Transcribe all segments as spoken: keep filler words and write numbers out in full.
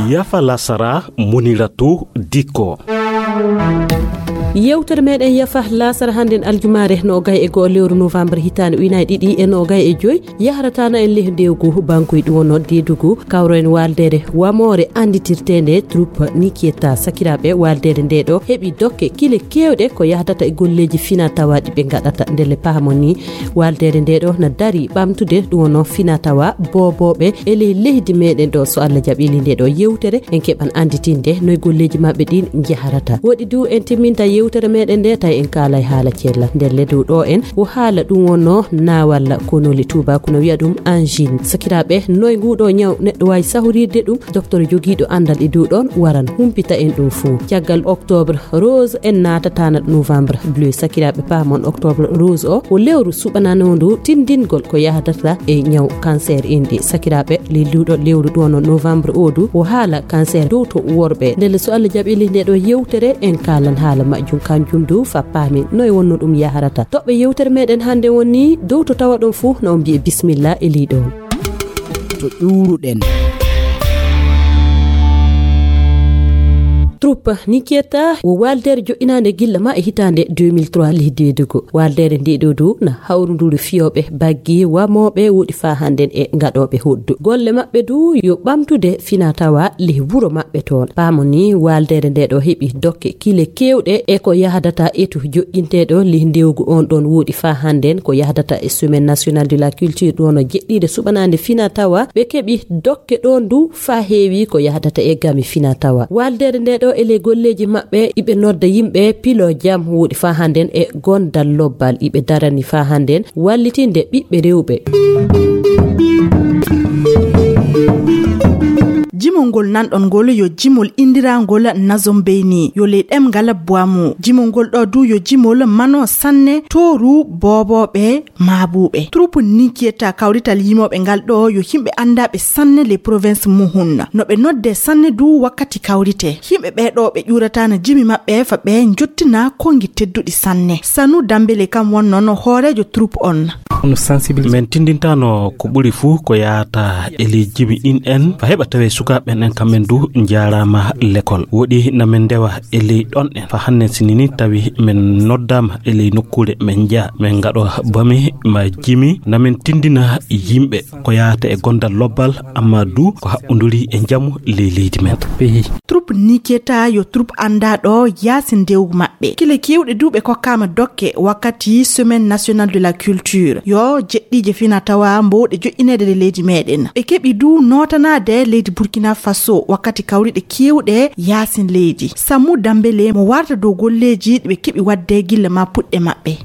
Yafa lasara, Muniratu Dikko. Yewtere meɗen Yafa lasara hannden aljumaare no gay e goo lewru novembre hitaande ujunaaji ɗiɗi e no gay e joy. Yahrata na en leh ndewgu bankuy ɗum wonno deedugu kawro en waaldeere wamoore annditirteende troupe Nikieta. Sakiraaɓe, waaldeere nde ɗo heɓi dokke kile keewɗe ko yahdata e golleeji fina tawa ɗi ɓe ngaɗata. Ndelle pahamon ni, waaldeere nde ɗo na dari ɓamtude ɗum wonno fina tawa boobooɓe e ley leydi meɗen ɗo. So Allah jaɓili nde ɗo yewtere, en keɓan annditinde noy golleeji maɓɓe ɗin njaharata. Woɗi du en timminta yewtere meɗen nde tawi en kaalay haala cella. Ndelle dow ɗo en o haala ɗum wonno naawalla konoli tuubaku no wi'a ɗum angine. Sakiraaɓe, noy nguɗo ñaw neɗɗo waawi sahorirde ɗum? Docteur jogiiɗo anndal e dow ɗon waran humpita en ɗum fuu. Caggal octobre rose, en naatatana novembre bleu. Sakiraaɓe, paamon octobre rose o, o lewru suɓananondu tindingol ko yahdata e ñaw cancer inɗi. Sakiraaɓe, lilluɗo lewru ɗo no novembre o du, o haala cancer dow to worɓe. Ndelle so Allah jaɓili nde ɗo yewtere, en kaalan haala majjum kanjum du, fa paamin noy wonno ɗum yaharata. Toɓɓe yewtere meɗen hannde woni dow to tawa ɗon fuu, no on mbi'e bismillah e liɗo. To ƴuuruɗen. Troupe Nikieta wo waaldeere joɗɗinaande gilla ma e hitaande deux mille trois leh deedugo. Waaldeere nde ɗo du na hawrunduru fiyooɓe baggi wamooɓe woɗi faa hannden e ngaɗooɓe hoddu. Golle maɓɓe du yo ɓamtude fina tawa leh wuro maɓɓe toon. Paamo ni waaldeere nde ɗo heɓi dokke kile keewɗe e ko yahdata etu joɗɗinteeɗo leh ndewgu on ɗon woɗi faa hannden ko yahdata e Semaine Nationale de la Culture ɗo no jeɗɗiinde suɓanaande fina tawa. Ɓe keɓi dokke ɗon du faa heewi ko yahdata e gami fina tawa. Waaldeere nde ɗo e ley golleeji maɓɓe iɓe nodda yimɓe pilo jam woɗi faa hannden e gondal lobbal iɓe darani faa hannden wallitinde ɓiɓɓe rewɓe. Jimol ngol nanɗon ngol yo jimol inndirangol Nazon Beyni, yo ley ɗemngal Bwamu. Jimol ngol ɗo du yo jimol mano sanne tooru boobooɓe maabuuɓe. Troupe Nikieta kawrital yimooɓe ngal ɗo yo yimɓe anndaaɓe sanne ley province Muhun. No ɓe nodde sanne du wakkati kawrite. Yimɓe ɓee ɗo ɓe ƴuurataana jimi maɓɓe fa ɓe njottina konngi tedduɗi sanne. Sanu Dambele kam wonno no hooreejo troupe on. Min tindintano ko ɓuri fuu ko yaata e ley jimi ɗin en, fa heɓa tawe sukaaɓe ɓen en kamɓe du njaaraama lekol. Woɗi na min ndewa e ley ɗon en. Fa hannden sinini tawi min noddaama e ley nokkuure min njaha, min ngaɗo bami ma jimi, na min tindina yimɓe ko yaata e gondal lobbal, amma du ko haɓɓunduri e njamu ley leydi men. Troupe Nikieta yo troupe anndaaɗo yaasi ndewgu maɓɓe. Kile keewɗe du ɓe kokkaama dokke wakkati Semaine Nationale de la Culture. Yo jeɗɗiije fina tawa mbowɗe joƴƴineede e leydi meɗen. Ɓe keɓi du nootanaade leydi Burkina Faso wakkati kawriɗe keewɗe yaasin leydi. Sammu Dambele mo warta dow golleeji ɗi ɓe keɓi waɗde gilla ma puɗɗe maɓɓe.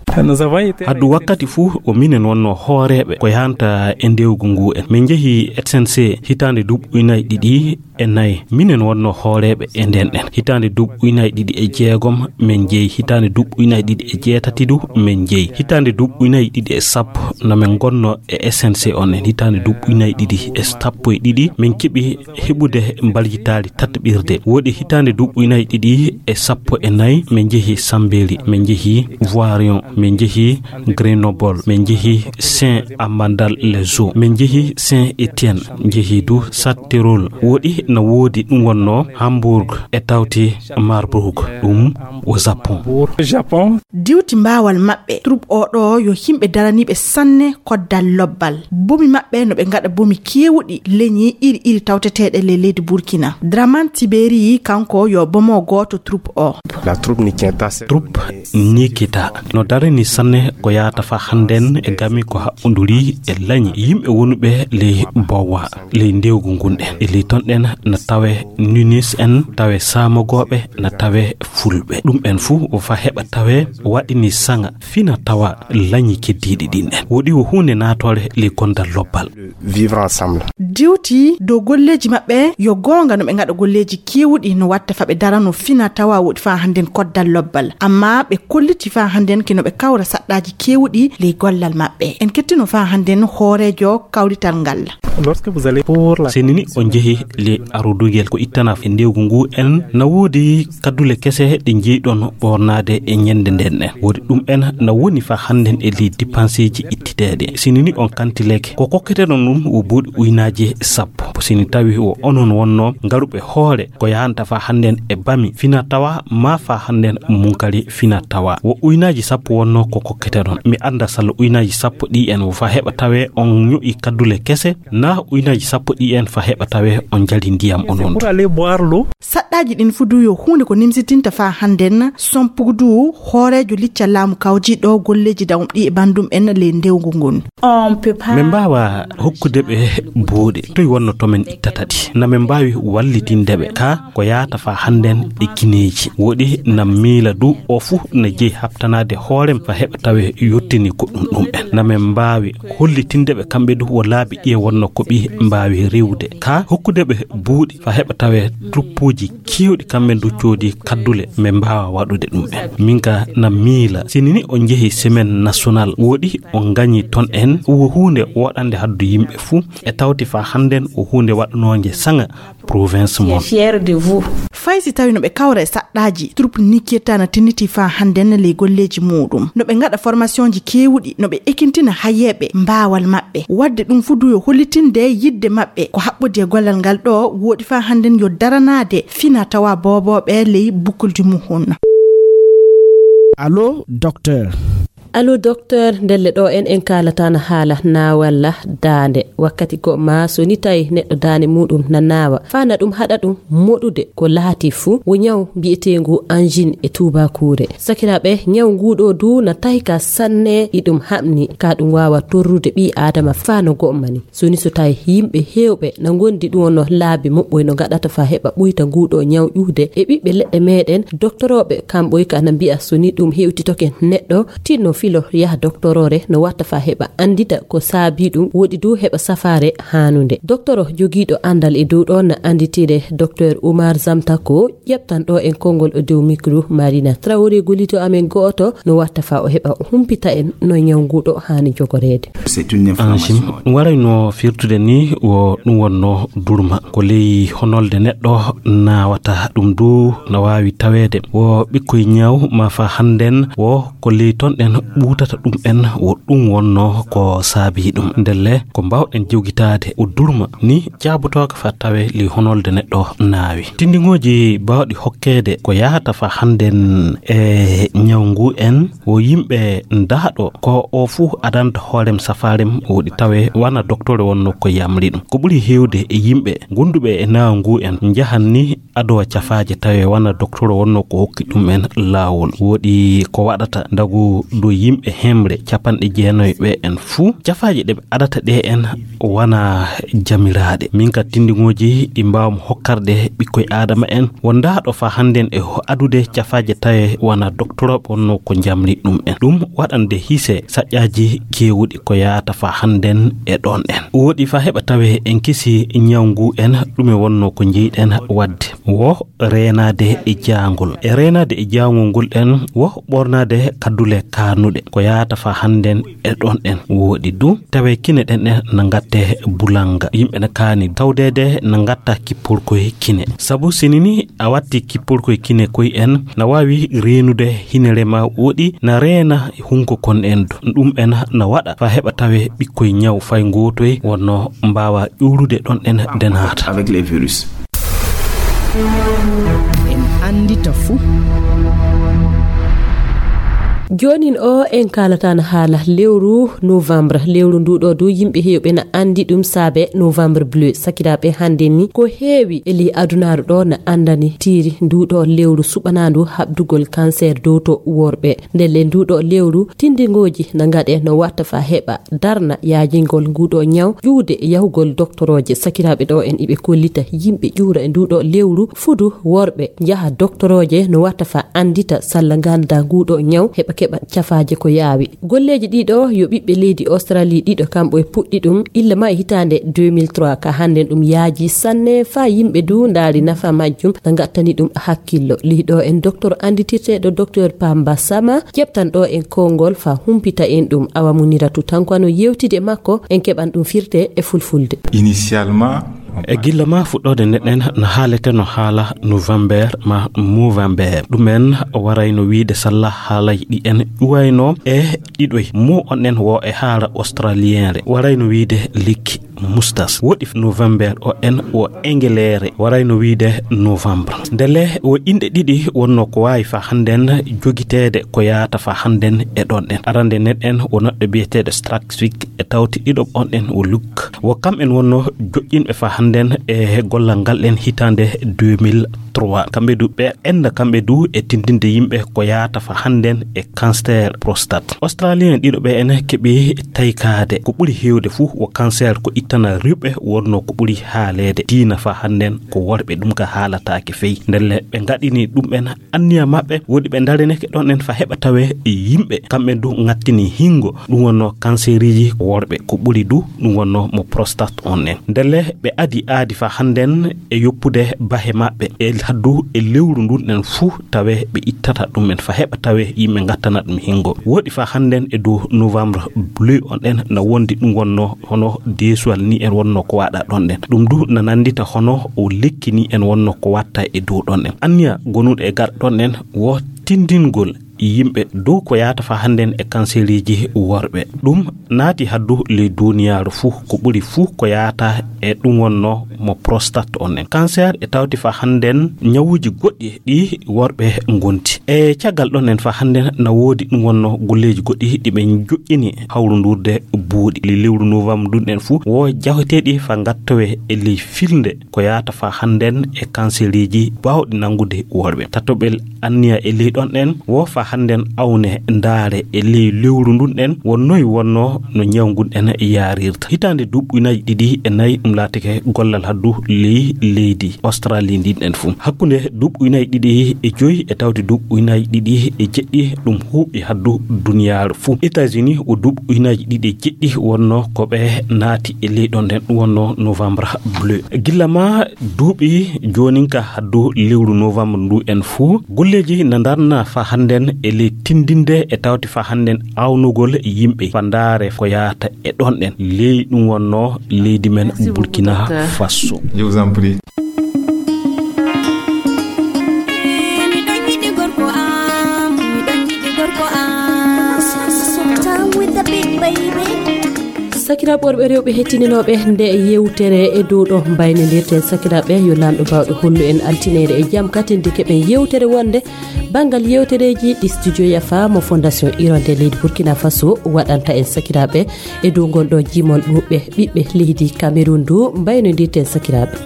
Haddu wakkati fuu o minen wonno hooreeɓe ko yanta e ndewgu ngu en. Min njehi S N C hitaande duuɓi ujunnaaji ɗiɗi e nayi. Minen wonno hooreeɓe e nden ɗen. Hitaande duuɓi ujunnaaji ɗiɗi e jeegom min njehi. Hitaande duuɓi ujunnaaji ɗiɗi e jeetati du min njehi. Hitaande duuɓi ujunnaaji ɗiɗi e sappo no min ngonno e S N C on en. Hitaande duuɓi ujunnaaji ɗiɗi e sappo e ɗiɗi min keɓi heɓude mbaljitaali tattaɓirde. Woɗi hitaande duuɓi ujunnaaji ɗiɗi e sappo e nayi min njehi Sambeli, min njehi Voirion, min njehi Grenoble, min njehi Saint-Amandal-les-Eaux, min njehi Saint-Étienne, njehi du Châtellerault. Woɗi na woodi ɗum wonno Hambourg e tawti Marbourg, ɗum wo Japon. Diwti mbaawal maɓɓe, troupe o ɗo yo yimɓe daraniiɓe sanne koddal lobbal. Bomi maɓɓe no ɓe ngaɗa bomi keewuɗi leñi iri iri tawteteeɗe ley leydi Burkina. Draman Tiberi kanko yo bomo gooto troupe o. Troupe Nikita no darani sanne ko yaata fa hannden e gami ko haɓɓunduri e lañi yimɓe wonuɓe ley Bowa, ley ndewgu ngun ɗen. E ley ton ɗen na tawe Nunis en, tawe Samogooɓe, na tawe Fulɓe. Ɗum en fuu o fa heɓa tawe waɗini saŋa fina tawa lañi keddiiɗi ɗin en. Woɗi wo huunde naatoore ley gondal lobbal. Diwti dow golleeji maɓɓe. Ɓe yo goonga no ɓe ngaɗa golleeji keewuɗi no watta fa ɓe darano fina tawa woɗi fa hannden koddal lobbal. Amma ɓe kolliti fa hannden kino ɓe kawra saɗɗaaji keewuɗi ley gollal maɓɓe. En kettino fa hannden hooreejo kawrital ngal. Lorsque vous allez pour la Sinini on jehi le arudugel ko ittana e ndewgu ngu en na woodi kaddule kese ɗe njeyɗon ɓornaade e ñande nden en. Woodi ɗum en na woni fa hannden e ley dipanseeji ittiteeɗe. Sinini on kantileke ko kokketeɗon ɗum wo buuɗi uynaaji sappo. Sini tawi wo onon wonno ngaruɓe hoore ko yahanta fa hannden e bami fina tawa ma fa hannden munkari fina tawa. Wo uynaaji sappo wonno ko kokketeɗon. Mi annda salla uynaaji sappo ɗi en wo fa heɓa tawe on ño'i kaddule kese na uynaaji sappo ɗi en fa heɓa tawe on jali ndiyam onon. Pour aller boire l'eau. Saɗɗaaji ɗin fu du yo huunde ko nimsitinta fa hannden sompugu du hooreejo liccal laamu kawji ɗo golleeji dawum ɗi e bandum en ley ndewgu ngun. On peut pas. Min mbaawa hokkude ɓe buuɗe. Toy wonno to min ittata ɗi? Na min mbaawi wallitinde ɓe. Ka ko yaata fa hannden e kineeji. Woɗi na miila du o fu na jeyi habtanaade hoorem fa heɓa tawe yottini ko ɗum ɗum en. Na min mbaawi hollitinde ɓe kamɓe du wo laabi ɗiye wonno ko ɓi mbaawi riwde. Ka hokkude ɓe buuɗi fa heɓa tawe truppuuji keewɗi kamɓe du coodi kaddule min mbaawa waɗude ɗum en. Min ka na miila sinini o jehi semaine national woɗi o gañi ton en wo huunde woɗande haddu yimɓe fuu e tawti fa hannden o huunde waɗanoonge saŋa province mon. Fier de vous. Fay si tawi no ɓe kawra e saɗɗaaji, troupe Niketa na tinniti fa hannden ley golleeji muuɗum. No ɓe ngaɗa formationji keewuɗi, no ɓe ekintina hayeeɓe mbaawal maɓɓe. Waɗde ɗum fu du yo hollitinde yidde maɓɓe ko haɓɓodi e gollal ngal ɗo woɗi fa hannden yo daranaade fina tawa boobooɓe ley bukkuldi muhun. Allo, docteur. Allo, docteur, ndelle ɗo en, en kaalataana haala naawalla daande. Wakkati ko ma so ni tawi neɗɗo daande muuɗum na naawa, faa na ɗum haɗa ɗum moɗude ko laati fuu, wo ñaw mbi'eteengu angine e tuubaakuure. Sakiraaɓe, ñaw nguuɗo du na tawi ka sanne, iɗum haɓni, ka ɗum waawa torrude ɓii Aadama faa no go'o mani. So ni so tawi yimɓe heewɓe na ngondi ɗum wonno laabi moɓɓoy no ngaɗata faa heɓa ɓuyta nguuɗo ñaw ƴuude e ɓiɓɓe leɗɗe meɗen, doktorooɓe kamɓoy ka na mbi'a so ni ɗum hewtitoke neɗɗo, tinno filo yaha doktoroore no watta faa heɓa anndita ko saabi ɗum, woɗi du heɓa safaare haanunde. Doktoro jogiiɗo anndal e dow ɗo na annditire Docteur Oumar Zamtako, ƴeɓtan ɗo en konngol o dow micro Marina Traoré, gollito amen go'oto, no watta faa o heɓa o humpita en no ñaw nguuɗo haani jogoreede. C'est une Ansin, inflammation. Ɗum waray no firtude ni wo ɗum wonno durma. Ko ley honolde neɗɗo naawata ɗum du na waawi taweede. Wo ɓikkoy ñaw ma fa hannden wo ko ley ton ɗen ɓuutata ɗum en wo ɗum wonno ko saabi ɗum. Ndelle ko mbaawɗen jewgitaade o durma ni jaabotooka fa tawe ley honolde neɗɗo naawi. Tinndingooji baawɗi hokkeede ko yahata fa hannden e ñaw ngu en wo yimɓe ndaaɗo ko o fuu adanta hoorem safaarem woɗi tawe wana doktore wonno ko yamri ɗum. Ko ɓuri heewde e yimɓe gonduɓe e naaw ngu en njahan ni adoo cafaaje tawe wana doktore wonno ko hokki ɗum en laawol. Woɗi ko waɗata ndagu do yimɓe hemre capanɗe jeenayi ɓe en fuu cafaaje ɗe ɓe adata ɗe en wana jamiraaɗe. Min ka tinndingooji ɗi mbaawmi hokkarde ɓikkoy Aadama en wondaaɗo fa hannden e ho-, adude cafaaje tawe wana doktorooɓe wonno ko njamri ɗum en. Ɗum waɗande hise saƴƴaaji keewuɗi ko yaata fa hannden e ɗon en. Woɗi fa heɓa tawe en kisi ñaw ngu en ɗume wonno ko njeyɗen waɗde. Wo reenaade e jaangol. E reenaade e jaangol ngol en wo ɓornaade kaddule kaanuɗe. Ko yaata fa hannden e ɗon en woɗi du. Tawe kine ɗen en na ngatte bulanga. Yimɓe na kaani tawdeede na ngatta kippol koye kine. Sabu sinini a watti kippol koye kine koye en na waawi reenude hinere ma woɗi na reena hunko kon en du. Ɗum en na waɗa fa heɓa tawe ɓikkoy ñaw fay ngootoy wonno mbaawa ƴuurude ɗon en denaata. Avec les virus. En anndita fuu. Joonin o en kaalataano haala lewru novembre. Lewru ndu ɗo du yimɓe heewɓe na anndi ɗum saabe novembre bleu. Sakiraaɓe, hannden ni ko heewi e ley adunaaru ɗo na anndani tiri ndu ɗo lewru suɓanaandu haɓdugol cancer dow to worɓe. Ndelle ndu ɗo lewru tinndingooji na ngaɗe no watta fa heɓa darna yaajingol nguɗo ñaw ƴuude yahugol doktorooje. Sakiraaɓe, ɗo en iɓe kollita yimɓe ƴuura e nduɗo lewru fudu worɓe njaha doktorooje no watta fa anndita salla ngannda nguɗo ñaw heɓa keɓa cafaaje ko yaawi. Golleeji ɗiɗo yo ɓiɓɓe leydi Australie ɗiɗo kamɓe e puɗɗi ɗum illa ma e hitaande deux mille trois. Ka hannden ɗum yaaji sanne faa yimɓe du ndaari nafa majjum, na ngattani ɗum hakkillo. Lihi ɗo en docteur annditirteeɗo docteur Pamba Sama, ƴeɓtan ɗo en konngol faa humpita en ɗum. Awa Muniratu Tanko no yewtide e makko, en keɓan ɗum firte e fulfulde. Initialement, e gilla ma fuɗɗoode neɗɗen no haaleteno haala november ma movember. Ɗumen warayno wiide salla haalay ɗi en ƴuwayno e ɗiɗoy. Mo on en wo e haala australienre warayno wiide likki mustas. Woɗi november o en wo engeleere warayno wiide novembre. Ndele wo inɗe ɗiɗi wonno ko waawi fa hannden jogiteede ko yaata fa hannden e ɗon ɗen. Arande neɗɗen wo neɗɗo biyeteeɗo Straksvik e tawti ɗiɗo on en wo luk. Wo kam en wonno joƴƴinɓe fa hannden e gollal ngal ɗen hitaande deux mille trois. Kamɓe du ɓe enda kamɓe du e tindinde yimɓe ko yaata fa hannden e cancer prostate. Australien ɗiɗo ɓe en keɓi taykaade ko ɓuri heewde fuu wo cancer ko ittana rewɓe wonno ko ɓuri haaleede. Diina fa hannden ko worɓe ɗum ka haalataake fey. Ndelle ɓe ngaɗini ɗum ɓen anniya maɓɓe woɗi ɓe ndareneke ɗon en fa heɓa tawe yimɓe kamɓe du ngattini hingo. Ɗum wonno canceriji worɓe ko ɓuri du ɗum wonno mo prostate on en. Ndelle ɓe adi aadi fa hannden e yoppude bahe maɓɓe e haddu e lewru ndun en fuu tawe ɓe ittata ɗum en fa heɓa tawe yimɓe ngattana ɗum hingo. Woɗi fa hannden e dow novembre bleu on en na wondi ɗum wonno hono deesuwal ni en wonno ko waɗa ɗon ɗen. Ɗum du na nandita hono o lekki ni en wonno ko watta e dow ɗon en. Anniya gonuɗo e gar ɗon en wo tindingol yimɓe dow ko yaata fa hannden e kanseriji worɓe. Ɗum naati haddu ley duniyaaru fuu ko ɓuri fuu ko yaata e ɗum wonno mo prostate on en. Cancer e tawti fa hannden ñawuji goɗɗi ɗi worɓe ngonti. E caggal ɗon en fa hannden na woodi ɗum wonno golleeji goɗɗi ɗi ɓe joƴƴini hawrundurde buuɗi. Ley lewru novembre ndun en fuu wo jahoteeɗi fa ngattowe e ley filnde ko yaata fa hannden e kanseriji baawɗi nanngude worɓe. Tatoɓel anniya e ley ɗon en wo fa hannden awne ndaare e ley lewru ndun en wo noy wonno no ñaw ngun en yaarirta. Hitaande duuɓi ujunnaaji ɗiɗi e nayi ɗum laatike gollal haddu ley leydi Australie ndin en fuu. Hakkunde duuɓi ujunnaaji ɗiɗi e joyi e tawti duuɓi ujunnaaji ɗiɗi e jeɗɗi ɗum huuɓi haddu duniyaaru fuu. États-Unis wo duuɓi ujunnaaji ɗiɗi e jeɗɗi wonno ko ɓe naati e ley ɗon nden ɗum wonno novembre bleu. Gilla ma duuɓi jooninka haddu lewru novembre ndu en fuu golleeji na ndarna fa hannden e ley tindinde e tawti fa hannden awnugol yimɓe fa ndaare ko yaata e ɗon ɗen ley ɗum wonno leydi men Burkina Faso. Je vous en prie. Sakiraaɓe worɓe rewɓe hettininooɓe nde yewtere e dow ɗo mbaynodirten sakiraaɓe yo laamɗo baawɗo hollu en altineede e jam katinde keɓen yewtere wonde banngal yewtereeji ɗi studio yafa mo fondation irondel leydi Burkina Faso waɗanta en sakiraaɓe e dow ngol ɗo jimol ɓuuɓɓe ɓiɓɓe leydi Cameroun du mbaynodirten sakiraaɓe.